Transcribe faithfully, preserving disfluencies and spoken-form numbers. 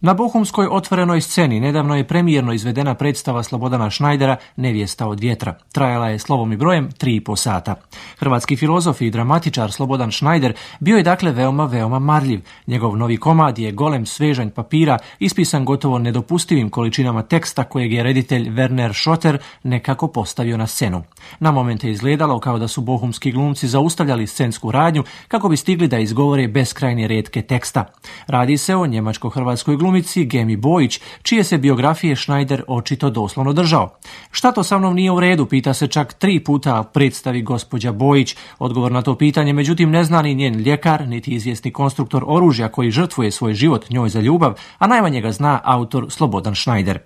Na bohumskoj otvorenoj sceni nedavno je premijerno izvedena predstava Slobodana Šnajdera Nevjesta od vjetra. Trajala je slovom i brojem tri i po sata. Hrvatski filozof i dramatičar Slobodan Šnajder bio je dakle veoma, veoma marljiv. Njegov novi komad je golem svežanj papira, ispisan gotovo nedopustivim količinama teksta kojeg je reditelj Werner Schotter nekako postavio na scenu. Na momente je izgledalo kao da su bohumski glumci zaustavljali scensku radnju kako bi stigli da izgovore beskrajne retke teksta. Radi se o njemačko-hrvatskoj glumici Gemi Bojić, čije se biografije Šnajder očito doslovno držao. Šta to sa mnom nije u redu, pita se čak tri puta predstavi gospođa Bojić. Odgovor na to pitanje međutim ne zna ni njen ljekar, niti izvjesni konstruktor oružja koji žrtvuje svoj život njoj za ljubav, a najmanje ga zna autor Slobodan Šnajder.